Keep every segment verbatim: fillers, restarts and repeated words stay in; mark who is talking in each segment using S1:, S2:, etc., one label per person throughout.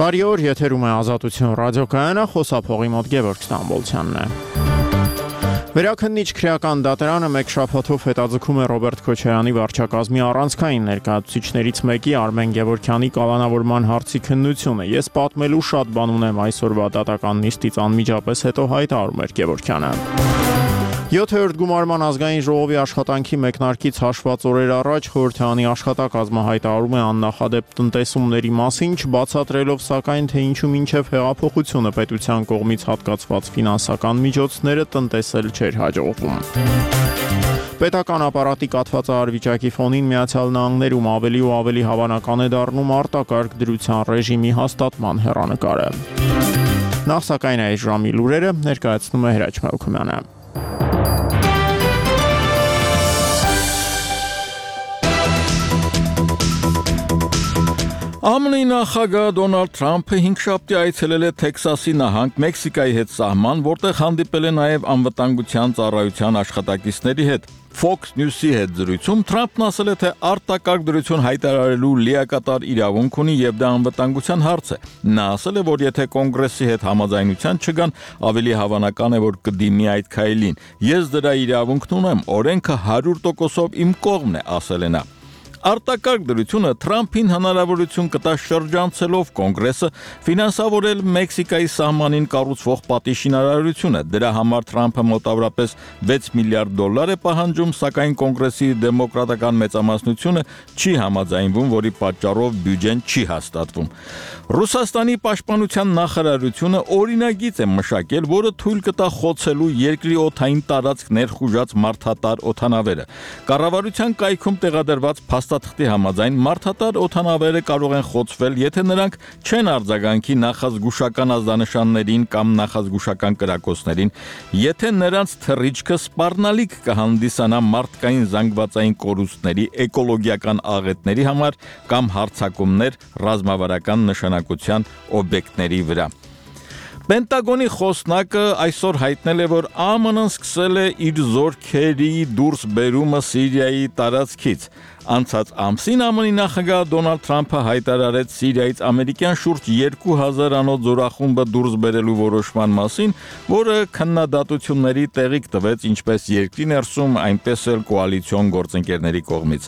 S1: Բարի օր, եթերում է Ազատություն ռադիոկայանը, խոսափողի մոտ Գևորգ Ստամբոլցյանն է։ Վերաքննիչ քրեական դատարանը մեկ շաբաթով հետաձգում է Ռոբերտ Քոչարյանի վարչակազմի առանցքային ներկայացուցիչներից մեկի Արմեն Գևորգյանի կալանավորման հարցի քննությունը։ Ես պատմելու շատ բան ունեմ այսօրվա դատական նիստից անմիջապես հետո հայտարարում էր Գևորգյանը։ յոթերորդ գումարման ազգային ժողովի աշխատանքի մեկնարկից հաշված օրեր առաջ խորհրդարանի աշխատակազմը հայտարարում է աննախադեպ տնտեսումների մասին, չբացատրելով սակայն թե ինչու մինչև հեղափոխությունը պետության կողմից հատկացված ֆինանսական միջոցները տնտեսել չէր հաջողվում։ Պետական ապարատի կաթվածահար վիճակի ֆոնին Միացյալ Նահանգներում ավելի ու ավելի հավանական է դառնում արտակարգ դրության ռեժիմի հաստատման հեռանկարը։ Նախ սակայն այս ժամի լուրերը ներկայացնում է Հրաչ Մելքումյանը։
S2: ԱՄՆ նախագահ Դոնալդ Թրամփը հինգշաբթի այցելել է Թեքսասի նահանգ Մեքսիկայի հետ սահման, որտեղ հանդիպել է նաև անվտանգության ծառայության աշխատակիցների հետ։ Fox News-ի հետ զրույցում Թրամփն ասել է, թե արտակարգ դրություն հայտարարելու լիակատար իրավունք ունի եւ դա անվտանգության հարց է։ Նա ասել է, որ եթե կոնգրեսի հետ համաձայնության չգան, ավելի հավանական է, որ կդիմի այդ քայլին։ Ես դրա իրավունքն ունեմ, օրենքը հարյուր տոկոսով իմ կողմն է, ասել է նա։ Արտակարգ դրությունը Թրամփին հնարավորություն կտա շրջանցելով կոնգրեսը ֆինանսավորել Մեքսիկայի սահմանին կառուցվող պատի շինարարությունը։ Դրա համար Թրամփը մոտավորապես վեց միլիարդ դոլար է պահանջում, սակայն կոնգրեսի դեմոկրատական մեծամասնությունը չի համաձայնվում, որի պատճառով բյուջեն չի հաստատվում։ Ռուսաստանի պաշտպանության նախարարությունը օրինագիծ է մշակել, որը թույլ կտա խոցելու երկրի օդային տարածք ներխուժած մարդատար օդանավերը։ Կառավարության կայքում տեղադրված փաստաթղթի համաձայն մարդատար օդանավերը կարող են խոցվել, եթե նրանք չեն արձագանքի նախազգուշական ազդանշաններին կամ նախազգուշական կրակոցներին, եթե նրանց թռիչքը սպառնալիք կհանդիսանա մարդկային զանգվածային կորուստների, էկոլոգիական աղետների համար կամ հարձակումներ ռազմավարական նշանակության օբյեկտների վրա։ Պենտագոնի խոսնակը այսօր հայտնել է, որ ԱՄՆ-ն սկսել է իր զորքերի դուրս բերումը Սիրիայի տարածքից։ Անցած ամսին ԱՄՆ-ի նախագահ Դոնալդ Թրամփը հայտարարեց Սիրիայից ամերիկյան շուրջ երկու հազար անոց զորախումբը դուրս բերելու որոշման մասին, որը քննադատությունների տեղիք տվեց ինչպես երկրի ներսում, այնպես էլ կոալիցիոն գործընկերների կողմից։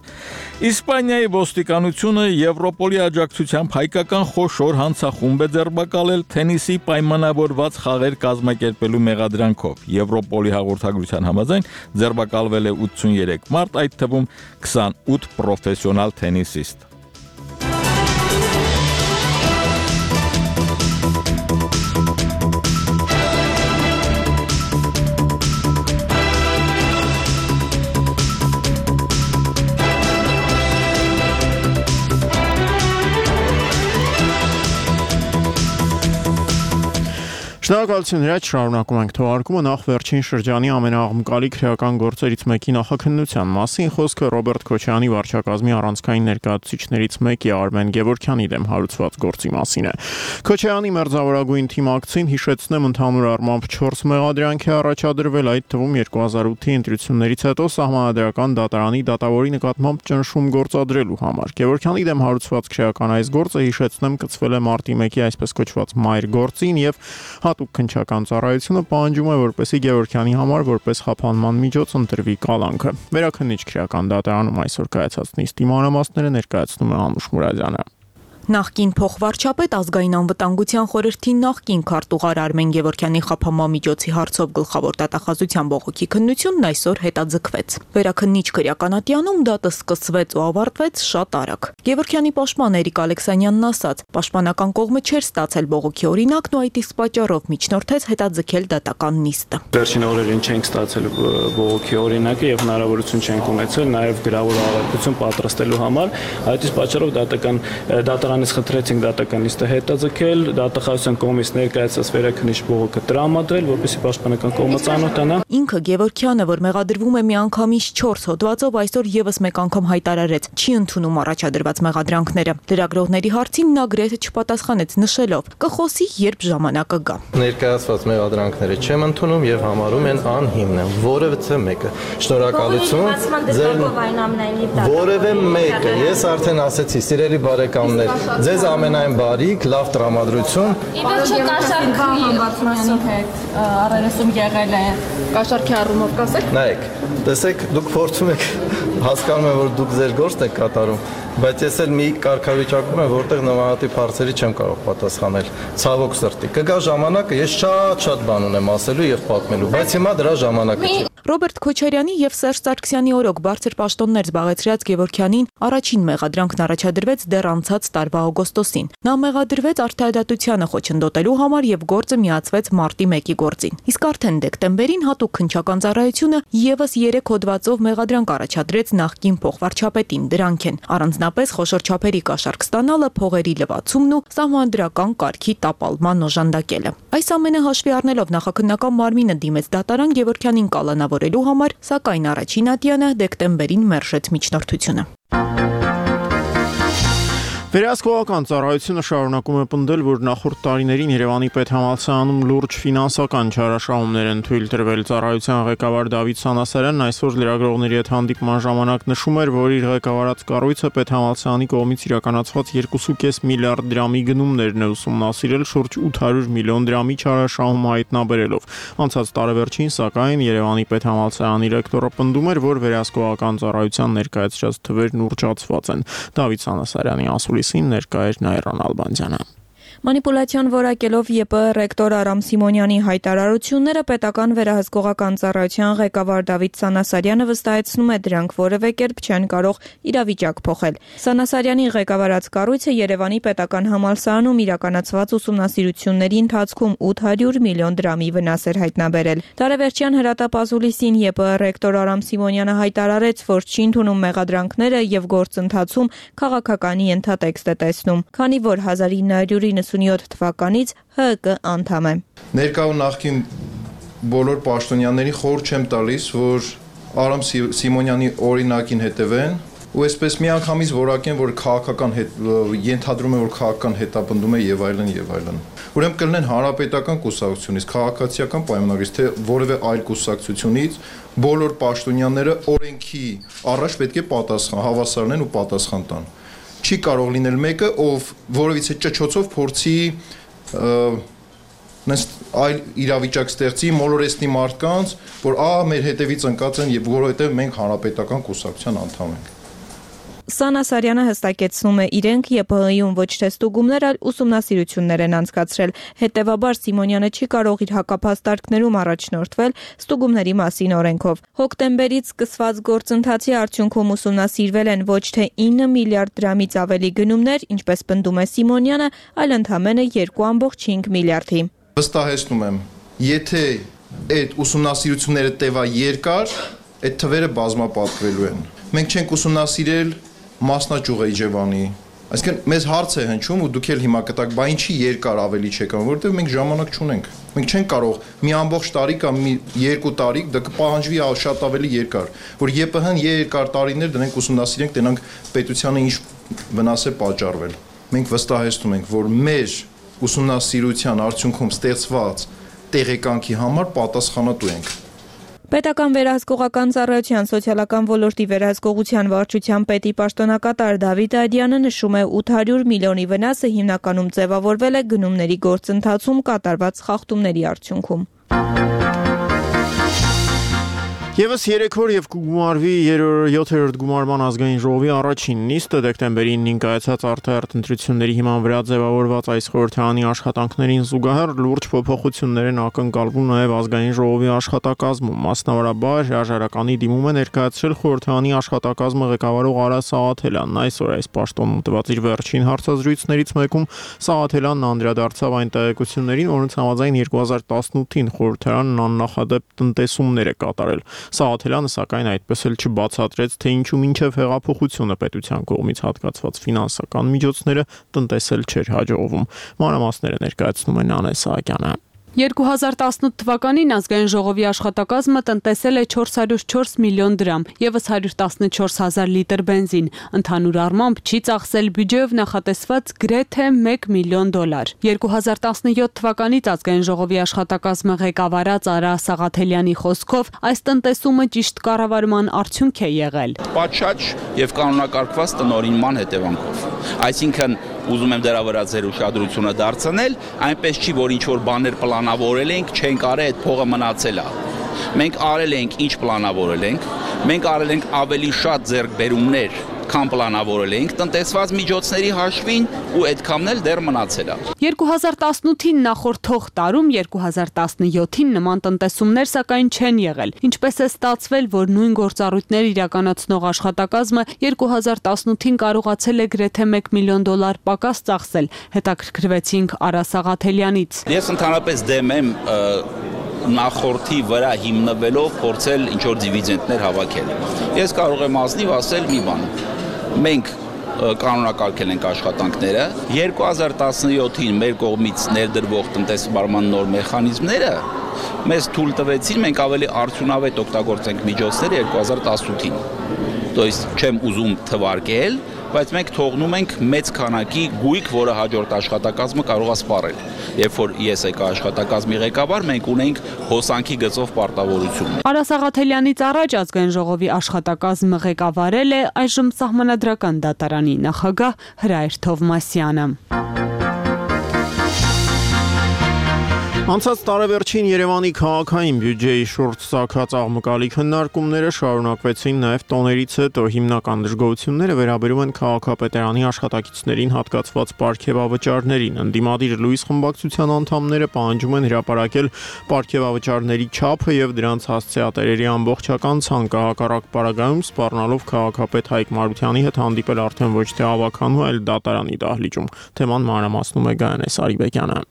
S2: Իսպանիայի ոստիկանությունը Եվրոպոլի աջակցությամբ հայկական խոշոր հանցախումբ է ձերբակալել թենիսի պայմանավորված խաղեր կազմակերպելու մեղադրանքով։ Եվրոպոլի հաղորդագրության համաձայն ձերբակալվել է ութսուններեք մարդ, այդ թվում քսանութ պրոֆեսիոնալ թենիսիստ։
S1: Շնորհակալություն Հրաչ, շարունակում ենք թողարկումը նախ վերջին շրջանի ամենաաղմկալի քրեական գործերից մեկի նախաքննության մասին խոսքը Ռոբերտ Քոչարյանի վարչակազմի առանցքային ներկայացուցիչներից մեկի Արմեն Գևորգյանի դեմ հարուցված գործի մասին է։ Քոչարյանի մերձավորագույն թիմակցին հիշեցնեմ ընդհանուր առմամբ չորս մեղադրանք է առաջադրվել, այդ թվում երկու հազար ութի ընտրություններից հետո սահմանադրական դատարանի դատավորի նկատմամբ ճնշում գործադրելու համար։ Գևորգյանի դեմ հարուցված քրեական այս գործը հիշեցնեմ կցվել է մարտի մեկի այսպես կոչված մայր գործին եւ հատուկ քննչական ծառայությունը պահանջում է, որպեսզի Գևորգյանի համար որպես խափանման միջոց ընտրվի կալանքը։ Վերաքննիչ քրեական դատարանում այսօր կայացած նիստի մանրամասները ներկայացնում է Անուշ Մուրադյանը։
S3: Նախկին փոխվարչապետ ազգային անվտանգության խորհրդի նախկին քարտուղար Արմեն Գևորգյանի խափանման միջոցի հարցով գլխավոր դատախազության բողոքի քննությունն այսօր հետաձգվեց։ Վերաքննիչ քրեականատյանում դատը սկսվեց ու ավարտվեց շատ արագ։ Գևորգյանի պաշտպան Էրիկ Ալեքսանյանն ասաց, պաշտպանական կողմը չէր ստացել բողոքի օրինակն ու այդ իսկ պատճառով միջնորդեց հետաձգել դատական նիստը։
S4: Վերջին օրերին չենք ստացել բողոքի օրինակը եւ հնարավորություն չենք ունեցել նաեւ գրավոր աղյատություն պատրաստելու համար, այդ իսկ պատճառով դատական դատարան Անից խնդրեցինք դատական նիստը հետաձգել, դատախազության կողմից ներկայացած վերաքննիչ բողոքը տրամադրել, որպեսզի պաշտպանական կողմը ծանոթանա։
S3: Ինքը Գևորգյանը, որ մեղադրվում է միանգամից չորս հոդվածով, այսօր եւս մեկ անգամ հայտարարեց, չի ընդունում առաջադրված մեղադրանքները։ Լրագրողների հարցին նա գրեթե չպատասխանեց, նշելով. «Կխոսի, երբ ժամանակը գա»։
S5: Ներկայացված մեղադրանքները չեմ ընդունում եւ համարում են անհիմն, որևէ մեկը։ Շնորհակալություն։ Ձեր որևէ մեկը, ես արդեն ասեցի, սիրելի բարեկամներ, Ձեզ ամենայն բարիք, լավ տրամադրություն։
S6: Իվերջը կաշարքի համբարձումյանի հետ առերեսում եղել է կաշարքի առումով կասեք։
S5: Նայեք, տեսեք, դուք փորձում եք, հասկանում եմ, որ դուք ձեր գործն եք կատարում, բայց ես էլ մի կարգավիճակում եմ, որտեղ նմանատիպ հարցերի չեմ կարող պատասխանել։ Ցավոք սրտի։ Կգա ժամանակը, ես շատ-շատ բան ունեմ ասելու եւ պատմելու, բայց հիմա դրա ժամանակը չէ։
S3: Ռոբերտ Քոչարյանի եւ Սերժ Սարգսյանի օրոք բարձր պաշտոններ զբաղեցրած Գևորգյանին առաջին մեղադրանքն առաջադրվեց դեռ անցած տարվա օգոստոսին։ Նա մեղադրվեց արդարադատությանը խոչընդոտելու համար եւ գործը միացվեց մարտի մեկի գործին։ Իսկ արդեն դեկտեմբերին հատուկ քննչական ծառայությունը եւս երեք հոդվածով մեղադրանք առաջադրեց նախկին փոխվարչապետին։ Դրանք են առանձնապես խոշոր չափերի կաշառք ստանալը, փողերի լվացումն ու սահմանադրական կարգի տապալման օժանդակելը։ Այս ամենը հաշվի առնելով նախաքննական մարմինը դիմեց դատարան Գևորգյանին կալանավորելու համար, սակայն առաջին ատյանը դեկտեմբերին մերժեց միջնորդությունը։
S1: Վերահսկողական ծառայությունը շարունակում է պնդել, որ նախորդ տարիներին Երևանի պետհամալսարանում լուրջ ֆինանսական չարաշահումներ են թույլ տրվել։ Ծառայության ղեկավար Դավիթ Սանասարյանն այսօր լրագրողների հետ հանդիպման ժամանակ նշում էր, որ իր ղեկավարած կառույցը պետհամալսարանի կողմից իրականացված երկու կόμ պենս միլիարդ դրամի գնումներն է ուսումնասիրել շուրջ ութ հարյուր միլիոն դրամի չարաշահում հայտնաբերելով։ Անցած տարեվերջին, սակայն, Երևանի պետհամալսարանի ռեկտորը պնդում էր, որ վերահսկողական ծառայության ներկայացրած թվերն ուռճացված են։ Դավիթ Սանասարյանի ասուլիսին ներկա էր Նայիրան Ալբանդյանը։
S7: Մանիպուլյացիոն որակելով ԵՊ ռեկտոր Արամ Սիմոնյանի հայտարարությունները պետական վերահսկողական ծառայության ղեկավար Դավիթ Սանասարյանը վստահեցնում է, դրանք որևէ կերպ չեն կարող իրավիճակ փոխել։ Սանասարյանի ղեկավարած կառույցը Երևանի պետական համալսարանում իրականացված ուսումնասիրությունների ընթացքում ութ հարյուր միլիոն դրամի վնաս էր հայտնաբերել։ Տարեվերջյան հրատապազուլիսին ԵՊ ռեկտոր Արամ Սիմոնյանը հայտարարեց, որ չի ընդունում մեղադրանքները եւ գործընթացում քաղաքականի ենթատեքստ է տեսնում, քանի որ հազար ինը հարյուր իննսունյոթ թվականից ՀՀԿ անդամ է։
S8: Ներկա ու նախկին բոլոր պաշտոնյաներին խորհուրդ չեմ տալիս, որ Արամ Սիմոնյանի օրինակին հետևեն ու այսպես միանգամից որակեն, որ քաղաքական ենթադրում է, որ քաղաքական հետապնդում է եւ այլն եւ այլն։ Ուրեմն կլինեն հանրապետական կուսակցությունից, քաղաքացիական պայմանագրից, թե որևէ այլ կուսակցությունից բոլոր պաշտոնյաները օրենքի առաջ պետք է պատասխան, հավասարեն ու պատասխան տան։ Չի կարող լինել մեկը, ով որևիցե ճճոցով փորձի այլ իրավիճակ ստեղծի, մոլորեցնի մարդկանց, որ ահա մեր հետևից ընկած են եւ որովհետեւ մենք հանրապետական կուսակցության անդամ ենք։
S7: Սանասարյանը հստակեցնում է, իրենք ԵՊՀ-ում ոչ թե ստուգումներ, այլ ուսումնասիրություններ են անցկացրել։ Հետևաբար Սիմոնյանը չի կարող իր հակափաստարկներում առաջնորդվել ստուգումների մասին օրենքով։ Հոկտեմբերից սկսված գործընթացի արդյունքում ուսումնասիրվել են ոչ թե ինը միլիարդ դրամից ավելի գնումներ, ինչպես պնդում է Սիմոնյանը, այլ ընդամենը երկու կόμ հինգ միլիարդի։
S8: Վստահեցնում եմ, եթե այդ ուսումնասիրությունները տևա երկար, այդ թվերը բազմապատկվելու են։ Մենք չենք ուսումնասիրել մասնաճյուղ Իջևանի, այսինքն մեզ հարց է հնչում ու դուք էլ հիմա կտակ, բա ինչի երկար ավելի չեք անում, որովհետև մենք ժամանակ չունենք։ Մենք չենք կարող մի ամբողջ տարի կամ մի երկու տարի, դա կպահանջվի շատ ավելի երկար, որ ԵՊՀ-ն երկար տարիներ դրանք ուսումնասիրենք, տենանք պետությանը ինչ վնաս է պատճառվել։ Մենք վստահեցնում ենք, որ մեր ուսումնասիրության արդյունքում ստեղծված տեղեկանքի համար պատասխանատու ենք։
S7: Պետական վերահսկողական ծառայության սոցիալական ոլորտի վերահսկողության վարչության պետի պաշտոնակատար Դավիթ Այդյանը նշում է, ութ հարյուր միլիոնի վնասը հիմնականում ձևավորվել է գնումների գործընթացում կատարված խախտումների արդյունքում։
S1: Եվս երեք օր եւ կգումարվի յոթերորդ գումարման ազգային ժողովի առաջին նիստը դեկտեմբերի ինին կայացած արտահերթ ընտրությունների հիման վրա ձևավորված այս խորհրդարանի աշխատանքներին զուգահեռ լուրջ փոփոխություններ են ակնկալվում նաեւ ազգային ժողովի աշխատակազմում։ Մասնավորաբար հրաժարականի դիմում է ներկայացրել խորհրդարանի աշխատակազմը ղեկավարող Արա Սաղաթելյանն։ Այսօր այս պաշտոնում տված իր վերջին հարցազրույցներից մեկում Սաղաթելյանն անդրադարձավ այն տեղեկություններին, որոնց համաձայն երկու հազար տասնութին խորհրդարանն աննախադեպ տնտեսումներ է կատարել։ Սաղաթելյանը սակայն այդպես էլ չբացատրեց, թե ինչու մինչև հեղափոխությունը պետության կողմից հատկացված ֆինանսական միջոցները տնտեսել չէր հաջողվում։ Մանրամասները ներկայացնում է Նանե Սահակյանը։
S9: երկու հազար տասնութ թվականին ազգային ժողովի աշխատակազմը տնտեսել է չորս հարյուր չորս միլիոն դրամ, եւս հարյուր տասնչորս հազար լիտր բենզին, ընդհանուր առմամբ չի ծախսել բյուջեով նախատեսված գրեթե մեկ միլիոն դոլար։ երկու հազար տասնյոթ թվականից ազգային ժողովի աշխատակազմը ղեկավարած Արա Սաղաթելյանի խոսքով այս տնտեսումը ճիշտ կառավարման արդյունք է եղել։
S10: Պատշաճ եւ կանոնակարգված տնօրինման հետևանքով, այսինքն ուզում եմ դրա վրա ձեր ուշադրությունը դարձնել, այնպես չի, որ ինչ-որ բաներ պլանավորել ենք, չենք արել, այդ փողը մնացել է։ Մենք արել ենք, ինչ պլանավորել ենք, մենք արել ենք ավելի շատ ձեռքբերումներ, քան պլանավորել էինք տնտեսված միջոցների հաշվին ու այդքանն էլ դեռ մնացել է։
S9: երկու հազար տասնութին նախորդ թող տարում երկու հազար տասնյոթին նման տնտեսումներ սակայն չեն եղել։ Ինչպես է ստացվել, որ նույն գործառույթներ իրականացնող աշխատակազմը երկու հազար տասնութին կարողացել է գրեթե մեկ միլիոն դոլար պակաս ծախսել, հետաքրքրվեցինք Արա Սաղաթելյանից։
S10: Ես ընդհանրապես դեմ եմ նախորդի վրա հիմնվելով փորձել ինչ-որ դիվիդենդներ հավաքել։ Ես կարող եմ ազնիվ ասել մի բան։ Մենք կանոնակարգել ենք աշխատանքները, երկու հազար տասնյոթին մեր կողմից ներդրվող տնտեսվարման նոր մեխանիզմները մեզ թույլ տվեցին մենք ավելի արդյունավետ օգտագործենք միջոցները երկու հազար տասնութին։ То есть չեմ ուզում թվարկել, բայց մենք թողնում ենք մեծ քանակի գույք, որը հաջորդ աշխատակազմը կարող է սպառել։ Երբ որ ես եկա աշխատակազմի ղեկավար, մենք ունենք հոսանքի գծով պարտավորություն։
S9: Արա Սաղաթելյանից առաջ ազգային ժողովի աշխատակազմը ղեկավարել է այժմ Սահմանադրական դատարանի նախագահ Հրայր Թովմասյանը։
S1: Անցած տարեվերջին Երևանի քաղաքային բյուջեի շուրջ ծագած աղմկալի քննարկումները շարունակվեցին նաև տոներից հետո հիմնական դժգոհությունները վերաբերում են քաղաքապետարանի աշխատակիցներին հատկացված պարգևավճարներին։ Ընդդիմադիր լույս խմբակցության անդամները պահանջում են հրապարակել պարգևավճարների չափը եւ դրանց հասցեատերերի ամբողջական ցանկը, հակառակ պարագայում սպառնալով քաղաքապետ Հայկ Մարությանի հետ հանդիպել արդեն ոչ թե ավականու, այլ դատարանի դահլիճում։ Թեման մանրամասնում է Գայանե Սարիբեկյանը։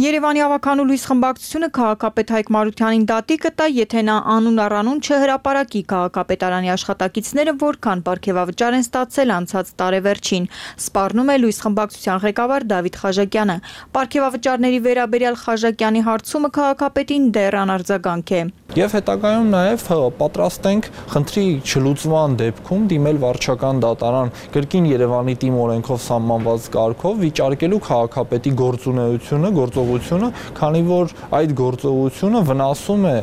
S7: Երևանի ավականու լույս խմբակցությունը քաղաքապետ Հայկ Մարությանին դատի կտա, եթե նա անուն առանուն չհրապարակի քաղաքապետարանի աշխատակիցները որքան պարգևավճար են ստացել անցած տարեվերջին, սպառնում է լույս խմբակցության ղեկավար Դավիթ Խաժակյանը։ Պարգևավճարների վերաբերյալ Խաժակյանի հարցումը քաղաքապետին դեռ անարձագանք է։
S11: Եվ հետագայում նաև պատրաստ ենք խնդրի չլուծման դեպքում դիմել վարչական դատարան կրկին Երևանի թիմ օրենքով սահմանված կարգով վիճարկելու քաղաքապետի գործունեությունը, գործողությունը, քանի որ այդ գործողությունը վնասում է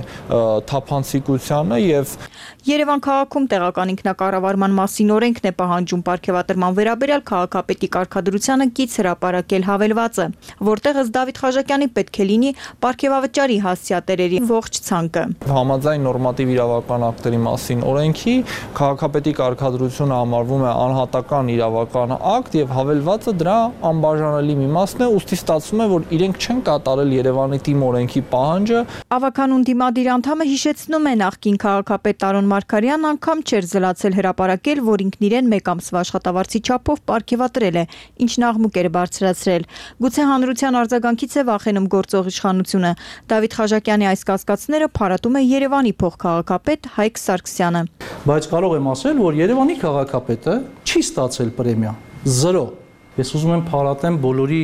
S11: թափանցիկությանը եւ
S7: Երևան քաղաքում տեղական ինքնակառավարման մասին օրենքն է պահանջում պարգևատրման վերաբերյալ քաղաքապետի կարգադրությանը կից հրապարակել հավելվածը, որտեղ ըստ Դավիթ Խաժակյանի պետք է լինի պարգևավճարի հասցեատերերի ողջ ցանկը։
S11: Համաձայն նորմատիվ իրավական ակտերի մասին օրենքի քաղաքապետի կարգադրությունը համարվում է անհատական իրավական ակտ եւ հավելվածը դրա անբաժանելի մի մասն է, ուստի ստացվում է, որ իրենք չեն կատարել Երևանի թիմ օրենքի պահանջը։
S7: Ավականուն դիմադիր անդամը հիշեցնում է նախկին քաղաքապետ Տարոն Մարգարյանն անգամ չէր զլացել հրապարակել, որ ինքն իրեն մեկ ամսվա աշխատավարձի չափով պարգևատրել է, ինչն աղմուկ էր բարձրացրել։ Գուցե հանրության արձագանքից է վախենում գործող իշխանությունը։ Դավիթ Խաժակյանի այս կասկածները փարատում է Երևանի փոխքաղաքապետ Հայկ Սարգսյանը։
S12: Բայց կարող եմ ասել, որ Երևանի քաղաքապետը չի ստացել պրեմիա, զրո։ Ես ուզում եմ փարատեմ բոլորի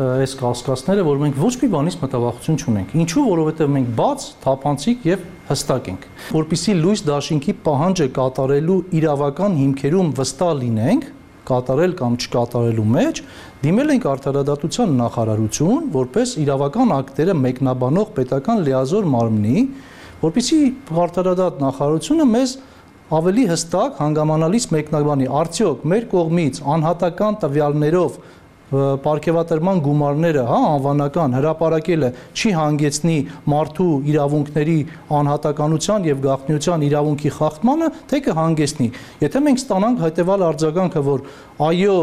S12: այս կասկածները, որ մենք ոչ մի բանից մտավախություն չունենք։ Ինչու, որովհետև մենք բաց, թափանցիկ եւ հստակ ենք։ Որպեսզի լույս դաշինքի պահանջը կատարելու իրավական հիմքերում վստահ լինենք, կատարել կամ չկատարելու մեջ, դիմել ենք արդարադատության նախարարություն, որպես իրավական ակտերը մեկնաբանող պետական լիազոր մարմնի, որպեսզի արդարադատ նախարարությունը մեզ ավելի հստակ հանգամանալից մեկնաբանի, արդյոք մեր կողմից անհատական տվյալներով պարգևատրման գումարները, հա, անվանական հրապարակելը չի հանգեցնի մարդու իրավունքների անհատականության եւ գաղտնիության իրավունքի խախտմանը, թե կհանգեցնի։ Եթե մենք ստանանք հետեւալ արձագանքը, որ այո,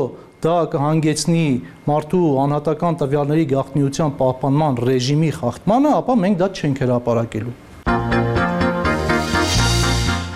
S12: դա կհանգեցնի մարդու անհատական տվյալների գաղտնիության պահպանման ռեժիմի խախտմանը, ապա մենք դա չենք հրապարակելու։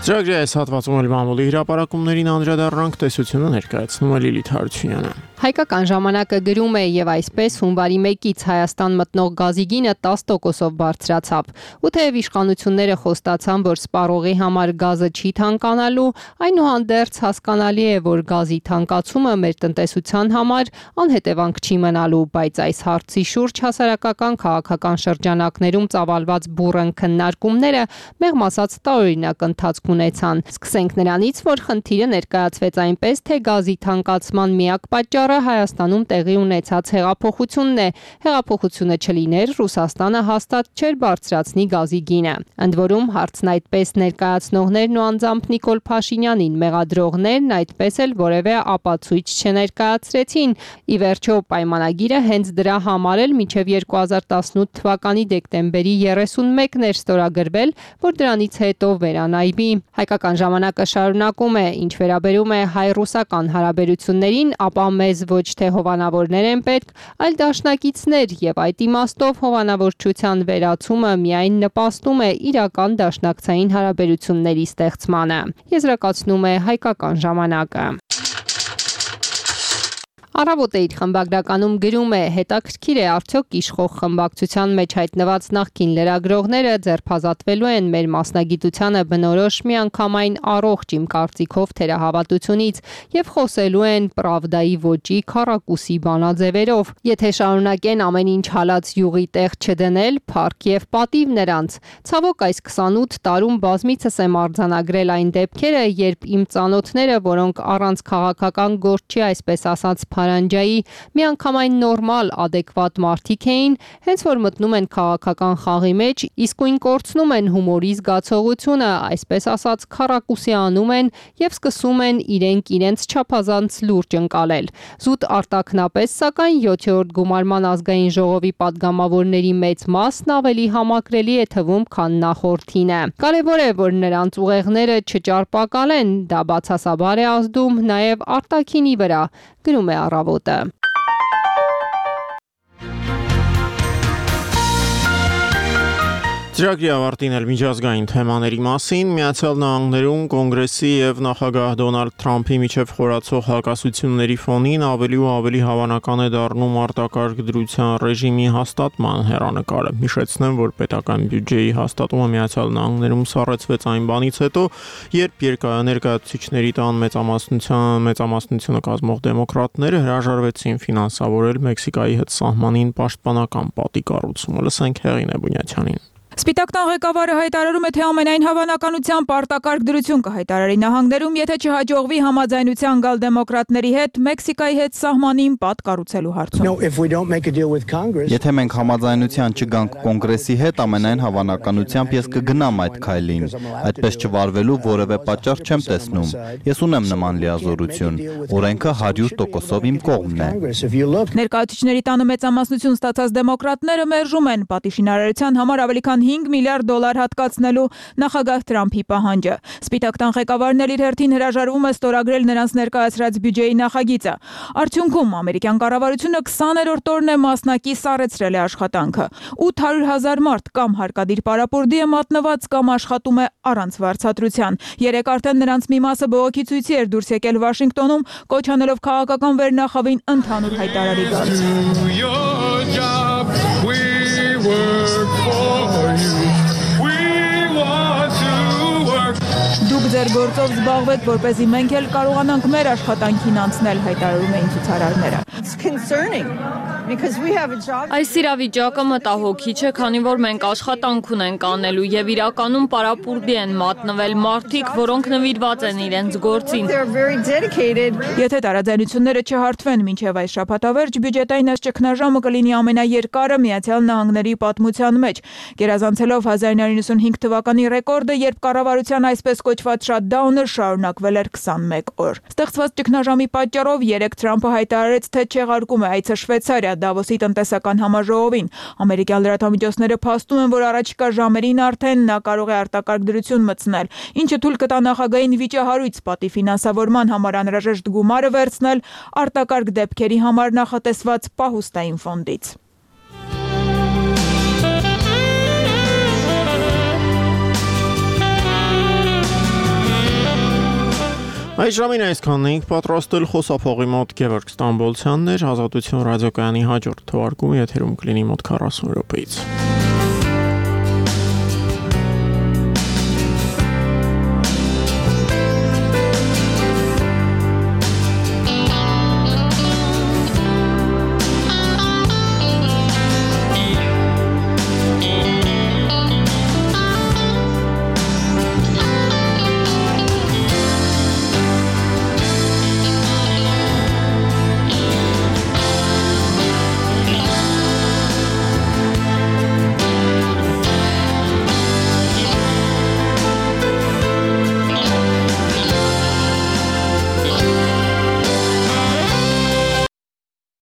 S1: Ծրագրի այս հատվածում էլ մամուլի հրապարակումներին անդրադառնանք, տեսությունը ներկայացնում է Լիլիթ Հարությունյանը։
S13: Հայկական ժամանակը գրում է եւ այսպես հունվարի մեկից Հայաստան մտնող գազի գինը տասը տոկոսով բարձրացավ։ Ու թեև իշխանությունները խոստացան, որ սպառողի համար գազը չի թանկանալու, այնուհանդերձ հասկանալի է, որ գազի թանկացումը մեր տնտեսության համար անհետևանք չի մնալու, բայց այս հարցի շուրջ հասարակական քաղաքական շրջանակներում ծավալված բուռն քննարկումները մեղմ ասած տարօրինակ ընթացք ունեցան։ Սկսենք նրանից, որ խնդիրը ներկայացվեց այնպես, թե գազի թանկացման միակ պատճառը պատճառը Հայաստանում տեղի ունեցած հեղափոխությունն է։ Հեղափոխությունը չլիներ, Ռուսաստանը հաստատ չէր բարձրացնի գազի գինը։ Ընդ որում հարցն այդպես ներկայացնողներն ու անձամբ Նիկոլ Փաշինյանին մեղադրողներն այդպես էլ որևէ ապացույց չներկայացրեցին։ Ի վերջո պայմանագիրը հենց դրա համար էլ մինչև երկու հազար տասնութ թվականի դեկտեմբերի երեսունմեկն էր ստորագրվել, որ դրանից հետո վերանայվի։ Հայկական ժամանակը շարունակում է, ինչ վերաբերում է հայ-ռուսական հարաբերություններին, ապա մեզ ոչ թե հովանավորներ են պետք, այլ դաշնակիցներ, եւ այդ իմաստով հովանավորչության վերացումը միայն նպաստում է իրական դաշնակցային հարաբերությունների ստեղծմանը։ Եզրակացնում է Հայկական ժամանակը։ Առավոտը իր խմբագրականում գրում է. հետաքրքիր է արդյոք իշխող խմբակցության մեջ հայտնված նախկին լրագրողները ձերբազատվելու են մեր մասնագիտությանը բնորոշ միանգամայն առողջ իմ կարծիքով թերահավատությունից եւ խոսելու են Պրավդայի ոճի քառակուսի բանաձևերով։ Եթե շարունակեն ամեն ինչ հալած յուղի տեղ չդնել, փառք եւ պատիվ նրանց։ Ցավոք այս քսանութ տարում բազմիցս եմ արձանագրել այն դեպքերը, երբ իմ ծանոթները, որոնք առանց քաղաքական գործի, այսպես ասած Փարանջայի միանգամայն նորմալ, ադեկվատ մարդիկ էին, հենց որ մտնում են քաղաքական խաղի մեջ, իսկույն կորցնում են հումորի զգացողությունը, այսպես ասած քառակուսի անում են եւ սկսում են իրենք իրենց չափազանց լուրջ ընկալել։ Զուտ արտաքնապես, սակայն յոթերորդ գումարման ազգային ժողովի падգամավորների մեծ մասն ավելի համակրելի է թվում, քան նախորդինը։ Կարևոր է, որ նրանց ուղեղները չճարպակալեն, դա բացասաբար է ազդում նաեւ արտաքինի վրա, գրում է Առավոտը։
S1: Ծրագրի ավարտին էլ միջազգային թեմաների մասին Միացյալ Նահանգներում կոնգրեսի եւ նախագահ Դոնալդ Թրամփի միջև խորացող հակասությունների ֆոնին ավելի ու ավելի հավանական է դառնում արտակարգ դրության ռեժիմի հաստատման հեռանկարը։ Հիշեցնեմ, որ պետական բյուջեի հաստատումը Միացյալ Նահանգներում սառեցվեց այն բանից հետո, երբ ներկայացուցիչների տան մեծամասնության մեծամասնությունը կազմող դեմոկրատները հրաժարվեցին ֆինանսավորել Մեքսիկայի հետ սահմանին պաշտպանական պատի կառուցումը։ Լսենք Հեղինե Բունյացյանին։
S14: Սպիտակ տան ղեկավարը հայտարարում է, թե ամենայն հավանականությամբ արտակարգ դրություն կհայտարարի նահանգներում, եթե չհաջողվի համաձայնության գալ դեմոկրատների հետ Մեքսիկայի հետ սահմանին պատ կառուցելու հարցում։
S15: Եթե մենք համաձայնության չգանք կոնգրեսի հետ, ամենայն հավանականությամբ ես կգնամ այդ քայլին։ Այդպես չվարվելու որևէ պատճառ չեմ տեսնում։ Ես ունեմ նման լիազորություն։ Օրենքը հարյուր տոկոսով իմ կողմն է։
S14: Ներկայացուցիչների տանը մեծամասնություն ստացած դեմոկրատները մերժում են պատիժնարարության համար ավելի քան հինգ միլիարդ դոլար հատկացնելու նախագահ Թրամփի պահանջը։ Սպիտակ տան ղեկավարն էլ իր հերթին հրաժարվում է ստորագրել նրանց ներկայացրած բյուջեի նախագիծը։ Արդյունքում ամերիկյան կառավարությունը քսաներորդ օրն է մասնակի սառեցրել է աշխատանքը։ ութ հարյուր հազար մարդ կամ հարկադիր պարապորտի է մատնված կամ աշխատում է առանց վարձատրության։ Երեք արդեն նրանց մի մասը բողոքի ցույցի էր դուրս եկել Վաշինգտոնում, կոչ անելով քաղաքական վերնախավին ընդհանուր հայտարարի գալ։ Դուք ձեր գործով զբաղվեք, որպեսզի մենք էլ կարողանանք մեր աշխատանքին անցնել, հայտարարում էին ցուցարարները։
S16: Այս իրավիճակը մտահոգիչ է, քանի որ մենք աշխատանք ունենք անելու եւ իրականում պարապուրդի են մատնվել մարդիկ, որոնք նվիրված են իրենց գործին։
S14: Եթե տարաձայնությունները չհարթվեն մինչև այս շաբաթավերջ, բյուջետային այս ճգնաժամը կլինի ամենաերկարը Միացյալ Նահանգների պատմության մեջ, գերազանցելով հազար իննյակ նոց հինգ թվականի ռեկորդը, երբ կառավարության այսպես կոչված շաթդաունը շարունակվել էր քսանմեկ օր։ Ստեղծված ճգնաժամի պատճառով երեք Թրամփը հայտարարեց, թե չեղարկում է այցը Շվեյցարիա Դավոսի տնտեսական համաժողովին։ Ամերիկյան լրատվամիջոցները փաստում են, որ առաջիկա ժամերին արդեն նա կարող է արտակարգ դրություն մտցնել, ինչը թույլ կտա նախագահային վիճահարույց պատի ֆինանսավորման համար անհրաժեշտ գումարը վերցնել արտակարգ դեպքերի համար նախատեսված պահուստային ֆոնդից։
S1: Այս ժամին այսքանն էինք պատրաստել, խոսափողի մոտ Գևորգ Ստամբոլցյանն էր, Ազատություն ռադիոկայանի հաջորդ թողարկումը եթերում կլինի մոտ քառասուն րոպեից։